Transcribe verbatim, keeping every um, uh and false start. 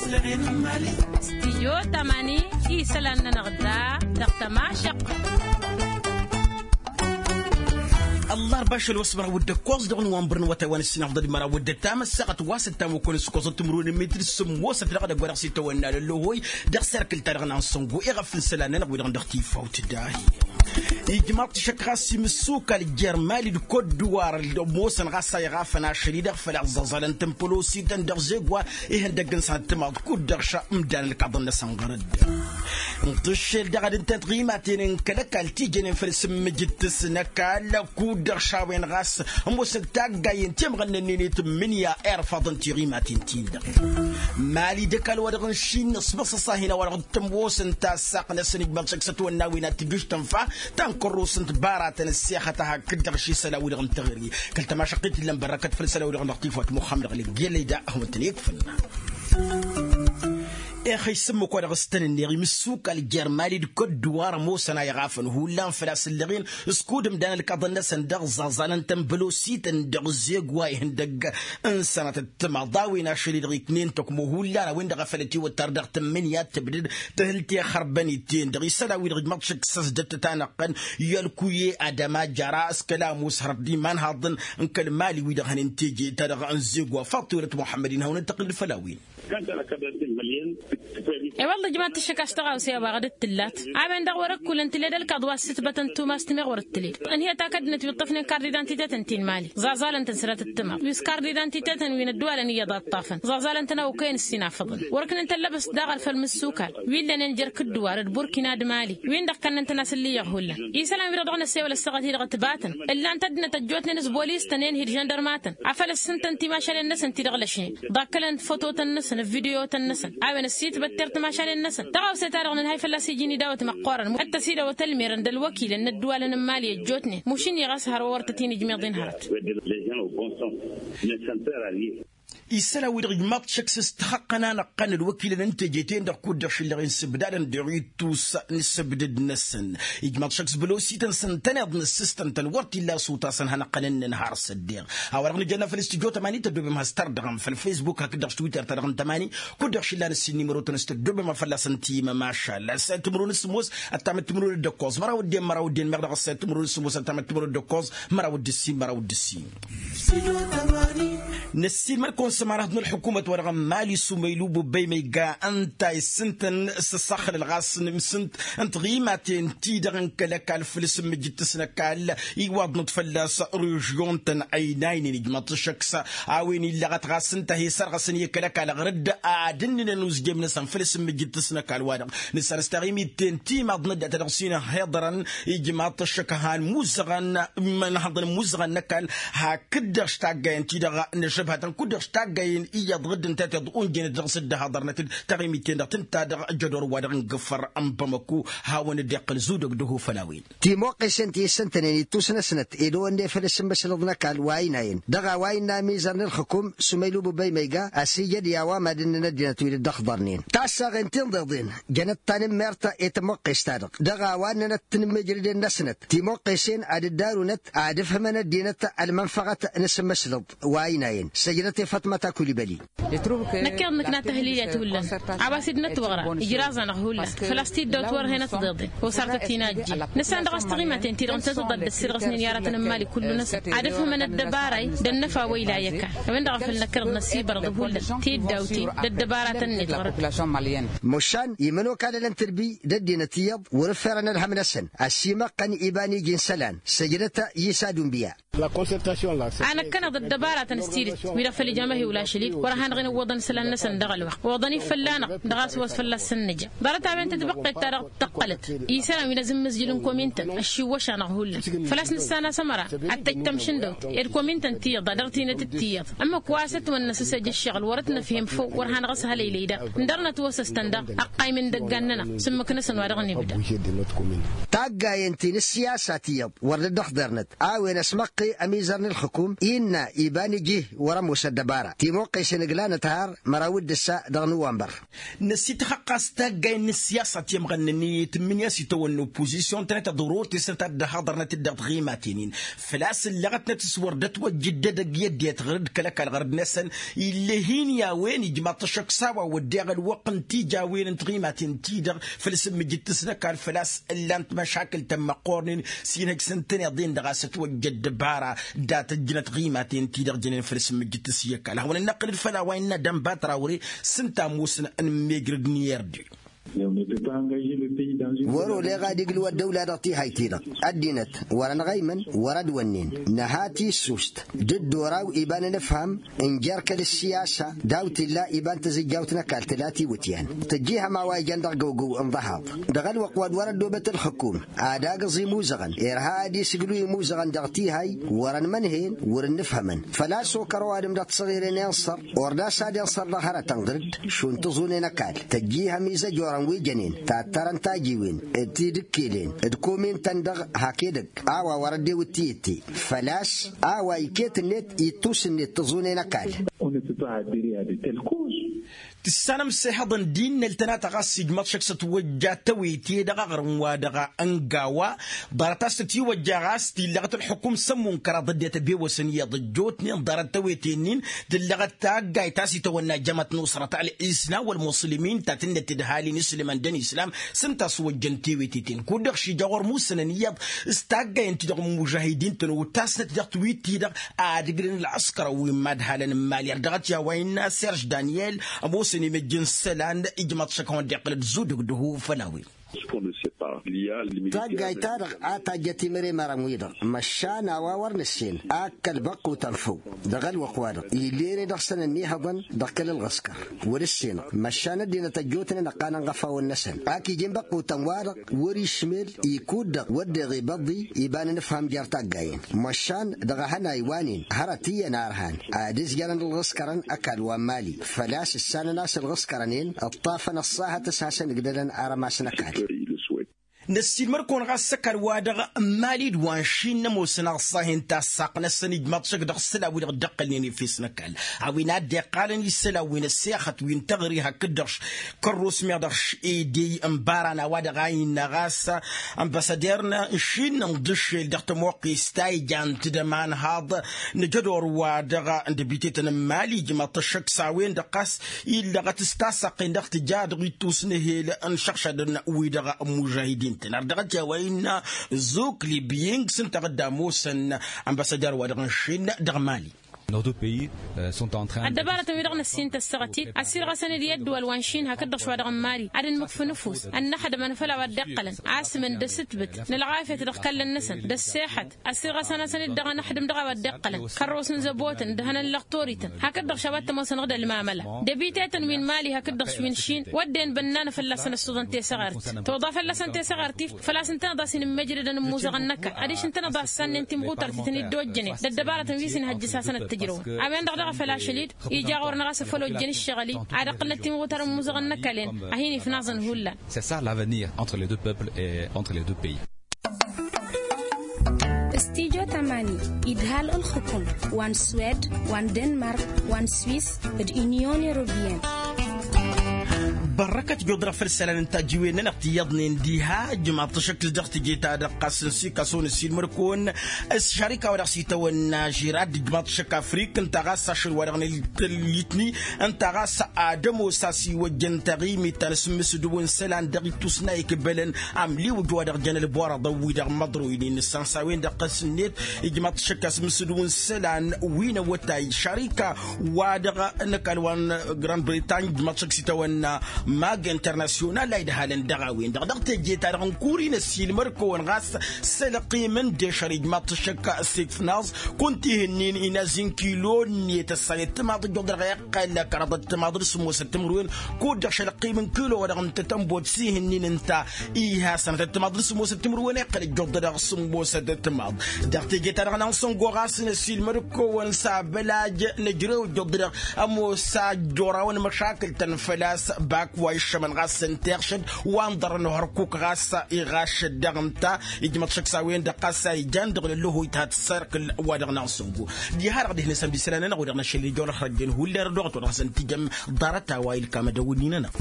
Stijyo tamani isălan-nănăɣ da dăɣ-tămašăqqa. Ăllarba ašăl wa s-măraw d-ǝkkoẓ dăɣ-nǝwănbăr n-awătay wa n-ǝssinăɣ dd-măraw d-ăttam ăssaɣăt wa s-ăttam okănăs ǝkkoẓăt timǝrwen n-metri s-sǝmmosăt dăɣ-edăgg wa dăɣ-s itawănna lăllohăy dăɣ-serkǝl-ta-dăɣ n-ansăngo iɣăf n-isălan-nănăɣ wi-dăɣ dăɣ-tifawt dahi. Ijmaḍ-t šăkk ɣas imǝssukal jer-mali d-kodduwar ămoosăn ɣas a iɣafăn ašăl-i-dăɣ făl-a ăẓẓăẓalăn-tăn pălosităn dăɣ-zegwa ihăndăgg n-sănăt timaḍ kud-dăɣ šămdan ǝlkaḍăn-năsăn ɣărăd. N-tǝššel daɣ ad-ǝnta tiɣimaten n-kăl-ăkall ti jănen făll-sǝmmǝjǝd-tăsnăkall kud-dăɣ šawen ɣas ămoosăn taggayen temɣănnănnen i-tǝmmǝnǝya irfaḍăn tiɣimaten-tin-dăɣ. Mali d-ăkall wa dăɣ-n šin ăsbăṣăṣ-ahin a-wa dăɣ-tămoosăn tassaq-năsăn ijmaḍ šăkk s-ătwănna wi n-ad-tǝjǝš tănfa ta n-kărrus n-tibaratăn ăssexăt a hakd-dăɣ ši isălan-wi-dăɣ n-teɣăre kăl-tămašăqqit illăn bărrăkăt făll-isălan-wi-dăɣ dăɣ-tifawt muxămmăd ɣǝlǝggel ăyda a hawăn-tăn-ikfǝnna. Exăy s-ǝmmǝk wa dăɣ-s tăn-ǝnneɣ imǝssukal jer-mali d-kădduwar ămoosăn a iɣafăn hullan făl-a-s ǝllăɣen s-kud ǝmdan ǝlkaḍăn-năsăn dăɣ-ẓaẓalăn-tăn bălosităn dăɣ-zeg wa ihăndăgg n-sănatăt timaḍ a-wen ašăl-i-dăɣ iknen tăkmo hullan a-wen-dăɣ a făl ătiwăttar dăɣ-tǝmmǝnǝya d-tǝbdǝd tǝhǝl teɣărbăn-iten dăɣ-isălan-wi-dăɣ ijmaḍ šăkk s-ăzdăt tanăɣ-tăn i-ălkuye adăma jara s-kăla ămoos hărăt d-imanhaḍăn n-kăl-mali-wi-dăɣ hănen teje-ta-dăɣ n-zeg wa faḍt tiwălăt muḥămmăd-in hawăn-dd-tăqqǝl d-făll-a-wen. I-wălla ǝjmaḍ-t ǝššǝk a-s tăɣawse a-wa ɣǝd-dd-tǝllat a-wen-dăɣ wăr-ăkkulăn tǝled ălkaḍ wa s-sǝtbătăn tumas timeɣ wăr-dd-tǝled ănhǝyăt akăd-năt wi ǝṭṭăfnen kard-idantităt n-tinmali ẓaẓalăn-tăn sărat ǝttǝmaḍ wi s-kard-idantităt n-wi n-ăddăwalăn iyyăḍ a ǝṭṭafăn ẓaẓalăn-tăn a okăyăn ǝssin afăḍăn wăr-ǝknăn tăllăbăst daɣ ărfăl mǝssukal wi ǝllănen jer-kǝddǝwar d-burkina d-mali wi-dăɣ kănnăn-tăn a-s ǝllǝyyăɣ hullan isălan-wi-dăɣ dăɣ-năssewăl ăssaɣăt-i-dăɣ ătbatăn ǝllan-t ăddinăt ăjjootnen s-bolis-tăn i-inhǝd žăndărmatăn afăl ǝssǝntăn timašalen-năsăn ti-dăɣ lăšnen ḍakkălăn fototăn-năsăn ǝvvidiyotăn-năsăn a-wen ăssitbătter timašalen-năsăn tăɣawse-ta-dăɣ nǝnhay fălla-s iji n-idawăt măqqoorăn ad-tăsidăwăt ălmerăn d-ălwăkilăn n-ăddǝwalăn n-imali ăjjootnen mušǝnni ɣas hărwa wăr tăt-in-ijmeḍ-in hărăt. Isălan-wi-dăɣ ijmaḍ-t šăkk s-ǝstăxăqqăn-anăɣ-tăn ălwăkilăn n-teje-ten-dăɣ kud-dăɣ šǝllăɣen sǝbdadăn deɣ ittus n-ǝssǝbdǝd-năsăn ijmaḍ-t šăkk s-bălosităn s-ǝntăneḍ n-ǝssǝstăn-tăn wăr t-illa asutas ănhănăqqăn ǝnnăn har s-ăddeɣ a-wa-dăɣ nǝjănna făll-s tǝjjo tămani tăddobem has-tardăɣăm făll-fesbuk hakd-dăɣ s-twitter-ta-dăɣ n-tămani kud-dăɣ šǝllan ǝssin n-imărotăn s-tăddobem a fălla-săn timămašal ăssayăt timǝrwen s-sǝmmos ăttamăt timǝrwen d-ǝkkoẓ măraw ăddin măraw ăddin meɣ dăɣ-ăssayăt timǝrwen s-sǝmmos ăttamăt timǝrwen d-ǝkkoẓ măraw d-ǝssin măraw d-ǝssin. Năssiilmăd-kăwăn s-ămanăhăḍ n-ălḥukumăt wa dăɣ-n mali s-umăylu băbbăy ma iga ǝnta a issǝntăn s-ăssaxlăl ɣas n-imsǝnt n-tiɣimaten-ti-dăɣ n-kăl-ăkall făll-s ǝmmǝjǝt-tăsnăkall iwaḍnăt fălla-s režyon-tăn ăynaynen ijmăḍ-t ăššăk s-a-wen illăɣăt ɣas ǝnta a he-sărɣăsăn i-kăl-ăkall ɣăr-dd ad-ǝnnǝnăn uzjem-năsăn făll-s ǝmmǝjǝt-tăsnăkall-wa-dăɣ nǝssan s-taɣimit-ten timaḍ n-ăddinăt a dăɣ-s-in-ăhhiḍărăn ijmaḍ-t ăššăk a han-imuzăɣăn imănhăḍăn imuzăɣăn n-ăkall hakd-dăɣ s-taggayen-ti-dăɣ n-ašăbhătăn kud-dăɣ s-taggayen iyyăḍ ɣǝdd ǝnta tiḍ unjenăt dăɣ-s dd-ăhaḍărnăt-dd taɣimit-ten-dăɣ tǝnta dăɣ-jădor wa dăɣ-ingǝfăr n-bamăku hawăn-dd-iqqǝl zudăg d-ăho făll-a-wen. Timoqqesen ti issǝntănen ittus-năsnăt ed ăwănne făll-asǝmmǝslăḍ n-ăkall wa ăynayăn dăɣ-a-wa innă amizăr n-ălxǝkum s-umăylu bǝbbăy ma iga a-s ijăd i-a-wa mad-ǝnnǝn ăddinăt wi dd-ăxḍărnen tassaɣen tinḍeḍen jănăt tanǝmmert i-timoqqes-ta-dăɣ dăɣ-a-wa ǝnnănăt tinǝmmijrǝden-năsnăt timoqqesen ad-dd-arunăt ad-ǝfhǝmăn ăddinăt ălmănfăɣăt n-asǝmmǝslăḍ wa ăynayăn săjdăt i-fatmăt akulibăli. Năkk iḍnǝkna tăhlilăt hullan a-wa s-dd-nătwăɣra ijraẓ-anăɣ hullan făl-a-s tiddawt wăr hen-ătḍeḍen osartăt inajjin nǝssan dăɣ-s tiɣimaten-ti-dăɣ ǝntătăḍ ad-dd-ăssirɣăsnen i-aratăn n-imali kullu-năsăn ad-ǝfhǝmăn ăddăbara-i d-ănnăfa wa ila i-ăkall a-wen-dăɣ a făl năkkăneḍ năsibărăḍ hullan tiddawt-i d-ăddăbaratăn-net ɣur-dd. Mušan imănokalălăn tǝrbi d-ăddinăt iyyăḍ wăr-ǝfferăn ălhăm-năsăn ăsimăqqăn iba n-iji n-isălan săjdăt i-isa d-unbiya. A năkkăneḍ ăddăbaratăn s-tidǝt wi-dăɣ făl ija amăhiwǝl ašăl-dd wăr-hanăɣ-in-ǝwwăḍăn isălan-năsăn dăɣ-ălwăqq oḍăn-i fălla-năɣ dăɣ-a-s wa s-fălla-s săn-nǝja ḍarăt a-wen tǝtbăqqet-ta-dăɣ tăqqălăt isălan wi n-azǝmmǝzjǝl n-komintăn ăššiwwăš-anăɣ hullan făl-a-s nǝssan a-s ămăra ad-tăjj tamšǝndăwt ed komintăn tiyyăḍ ad-dăɣ-tinăt d-tiyyăḍ ămmǝk wa s-ătwănna s-săj ǝššăɣǝl wăr-ătnăfhem făw wăr hanăɣ-ăshălăy lăy daɣ ǝndărnăt wăsăstăn daɣ ăqqay imǝndăggan-nănăɣ s-ǝmmǝk-năsăn wa dăɣ-nǝbda. Taggayen ti n-ǝssiyasa tiyyăḍ wăr dd-ăxḍărnăt a-wen ăsmăqqen. Ămizăr n-ǝlxǝkum innă iba n-iji wăr-ămoos ăddăbara timoqqesen ǝgla n-ăthar măraw d-ǝssa dăɣ-nǝwwănbăr. Năsităxăqqas taggayen n-ǝssiyasa timɣănnăn i-tǝmmǝnǝya s-itawănna oppozisyon tănăt-ăḍror tesnăt ad-dd-ăhaḍărnăt-dd dăɣ-timaten-in. Făl-a-s ǝllăɣătnăt s-wăr dd-ătwăjjǝd edăgg i-ăddinăt ɣur-dd kăl-ăkall ɣur-dd-năsăn. Ill'-e hin-i-a-wen ijmaḍ-t ăššăk s-a-wa wădden ălwăqq n-tijawin n-tiɣimaten-ti-dăɣ făll-sǝmmǝjǝd-t s-năkall făl-a-s ǝllan-t măšakǝl tămmăqqornen s-inhăj s-ǝntăneḍ-en-dăɣ a-s ătwăjja ăddăbara dat-ăjjǝnăt tiɣimaten-ti-dăɣ jănen făll-sǝmmǝjǝd-t s-i-ăkall a hawăn-ănnăqqǝlăd făll-a-wa innă dănbat rawre. S-ǝnta ămoosăn n-immejrăd n-i-ărde. Wăr-oleɣ ad-iglǝw ăddăwla dăɣ-tihayt-i-dăɣ ăddinăt wăr-ănɣăymăn wăr-ădwănnen. Nǝha tissust d-dd-oraw iba n-enǝfham n-jer-kăl-ǝssiyasa daw-t illa iba n-tazǝjjawt n-ăkall tǝla tiwǝtyan. Tǝjjihăm a-wa ijăn dăɣ-găwgăw n-ḍahaḍ dăɣ-ălwăqq wa d-wăr-ăddobăt ǝlxǝkum ad-agǝẓ imuzăɣăn irha ad-isǝglǝw imuzăɣăn dăɣ-tihăy. Wăr-ănmănhen wăr-ǝnnǝfhămăn făl-a-s okăr ăwadǝm dăɣ-tisăɣire n-inṣăr. Ord a-s ad-inṣăr dăɣ-hărătăn ɣǝr-dd šund tiẓunen ăkall tăjjihăm izăjorăn wi jănen tattărăn tajiwen d-tidǝkkelen d-komintăn-dăɣ hak edăgg a-wa wăr-ăddewǝt tiyǝtte. Făl-a-s a-wa iket-net ittus-net tiẓunen ăkall. Tǝssanăm s-ehăḍăn d-innăl tănatăɣ a-s ijmăḍ šăkk s-ătwăjja tăwete dăɣ-aɣrǝm-wa-dăɣ n-gawa. Ḍarăt a-s tătiwăjja ɣas tillăɣăt ălxukum s-ămmun kăraḍ ăddinăt ăbewăsăn iyyăḍ ăjjootnen ḍarăt tăwete-nin. Tǝllăɣăt taggayt a-s itawănna jămat n-usrăt ăl'isna wăl-muṣlǝmin ta tǝnnăt d-ǝhalin isǝlmăn d-ănislam. S-ǝnta a-s wăjjăn tewete-ten kud-dăɣ šija ɣur-musănăn iyyăḍ s-taggayăn-ti-dăɣ n-imužahidin-tăn otasnăt dăɣ-tiwit-ti-dăɣ. Ad-ǝglǝn ălɣǝskăr wi n-imadhalăn n-imali ar dăɣ-t i-a-wa innă serž daniel. Ămoosăn imăjj n-isălan ijmaḍ šăk a hawăn-dd-iqqǝlăd zudǝg d-hu făll-a-wen. Taggayt-ta-dăɣ a tajjăt imăremărăn-wi-dăɣ măšan a-wa wăr nǝssen ak kăl-băqqutăn făw. Dăɣ-ălwăqq-wa-dăɣ ill'-e-ere dăɣ-săn ănnihăḍăn dăɣ-kăl-ălɣǝskăr wăr-ǝssenăɣ măšan ăddinăt ăjjootnen ăqqanăn ɣăfawăn-năsăn ak ija inbăqqutăn-wa-dăɣ wăr-išmel ikud-dăɣ wădden ibăḍḍi iba n-inǝfham jer-taggayen. Măšan dăɣ-ehănay wa-nen hărăt iyyăn arhan ad-ǝzjărăn ǝlɣǝskărăn ăkall wa n-imali făl-a-s ǝssanăn a-s ǝlɣǝskărăn-en ǝṭṭafăn ăṣṣahăt s-hasăn-ǝgdălăn arămas n-ăkall. Năssiilmăr-kăwăn ɣas s-ăkall-wa-dăɣ n-imali d-wa n-išin n-ămoosăn aẓẓahen tassaqt-năsăn ijmaḍ šăkk dăɣ-isălan wi-dăɣ dd-ăqqălnen efes n-ăkall a-wen a dd-iqqalăn isălan wi n-ăssexăt wi n-teɣri hakd-dăɣ kărros meɣ dăɣ-š edey n-ibaran a-wa-dăɣ a innă ɣas ănbăsăder n-išin n-iḍǝššel dăɣ-tămoqqest ta ijan-t d-ămanhaḍ n-ajădor wa dăɣ-n dăbitetăn n-imali ijmaḍ-t ăššăk s-a-wen-dăɣ ɣas illăɣăt s-tassaqen dăɣ-tǝja dăɣ-ittus n-ehel n-išăɣšadăn-wi-dăɣ n-imužahidin-tăn ar dăɣ-t i-a-wa innă zukli biying s-ǝnta a dd-ămoosăn ănbăsăder wa dăɣ-n išin dăɣ-imali. Ăddăbarătăn-wi-dăɣ năssin tăssăɣăt-dd ăssirɣăsăn-dd i-ăddǝwal wa n-išin hakd-dăɣ šwa dăɣ-n imali ad-ǝnmǝkfǝn ǝfus ănnăxdăm anfăl a-wa dd-iqqălăn asǝmǝn d-asǝtbǝt n-ălɣafyăt dăɣ-ikallăn-năsăn d-ăssexăt. Ăssirɣăsăn-asăn-dd dăɣ-anăxdǝm dăɣ-a-wa dd-iqqălăn kărrosăn zăbotăn d-hănăn lăxtorităn hakd-dăɣ šabat tămoosăn dăɣ-ălmamăla. Dăbitetăn wi n-imali hakd-dăɣ wi n-išin wădden bănnană fălla-săn ăssuḍăn tesăɣart toḍa fălla-săn tesăɣart-i. Făl-a-s ǝntăneḍ a-s inǝmmejrădăn ămmuẓăɣăn n-ăkall adiš ǝntăneḍ a ǝssannen timɣutărt ităn-dd-ojjănen d-ăddăbarătăn wi s-inhăjjǝs-asăn d-tǝjrăwăn. A-wen-dăɣ daɣ a făl ašăl-dd ija ɣur-năɣ a-s afăl ojjăn ǝššăɣǝl-i ad-ăqqǝlnăt timɣutăr n-ămmuẓăɣăn n-ăkall-en a hin-ifnaẓăn hullan. C'est ça l'avenir entre les deux peuples et entre les deux pays. Studyo tamani idhal ǝlxǝkum wa n-suwed wa n-denmark wa n-swis d-unyon europeyenne. Bărrăkăt jodrăɣ făll-isălan n-tajǝwen-nănăɣ ti iyyăḍnen diha ǝjmaḍ-t ašăk s-dăɣ teje-ta-dăɣ ɣas n-sikason ăssiilmăr-kăwăn. S-šarika wa dăɣ-s itawănna žirad ǝjmaḍ-t ašăk afrik ǝnta ɣas ašăl wa dăɣ-nălitni ǝnta ɣas ad-ămoos a-s iwăjjăn taɣimit ta n-asǝmmǝsǝdǝw n-isălan dăɣ-ittus n-a ikbălăn amliwǝj wa dăɣ-jăn ălborăḍăn-wi-dăɣ măḍroynen nǝssan s-a-wen-dăɣ ɣas-net. Ijmaḍ-t ašăk asǝmmǝsǝdǝw n-isălan wi n-awătay šarika wa dăɣ-năkall wa n-grand britany ǝjmaḍ-t ašăk s-itawănna mag internasyonal a idhalăn dăɣ-a-wen-dăɣ dăɣ-teje-ta-dăɣ n-kuri n-ăssiilmăr-kăwăn ɣas s-ălqim n-dešăr ijmaḍ-t ašăk s-ikfnaẓ kunta ihǝnnin inazi n-kilo-net ăssayăt timaḍ ǝjjuḍ dăɣ-iqqăl kăraḍăt timaḍ d-sǝmmosăt timǝrwen. Kud-dăɣ šălăqqim n-kilo wa dăɣ-nǝtăt ănbot s-ihǝnnin ǝnta iha sănătăt timaḍ d-sǝmmosăt timǝrwen iqqăl ǝjjuḍ dăɣ-sǝmmosăt timaḍ. Dăɣ-teje-ta-dăɣ n-ansăngo ɣas n-ăssiilmăd-kăwăn s-abălaj n-ejrew ǝjjuḍ dăɣ-ămoos a ăjjorawăn măšakǝl-tăn făl-a-s bak. wa iššămăn ɣas n-tiɣšǝd wa n-ḍărăn ohărkuk ɣas iɣašăt daɣ ǝnta. Ijmăḍ šăkk s-a-wen-dăɣ ɣas a ijan dăɣ-lălluhu ithat s-erk wa dăɣ-naɣ n-sǝngu. Diha-dăɣ dihnăsăn bisălan-nănăɣ wa dăɣ-năšăl ijorăt hărăjjăn hullan d-oɣăt wa dăɣ-hasăn-tijăm ḍarăt-a-wa ilkam ad-ăwǝnni-nănăɣ.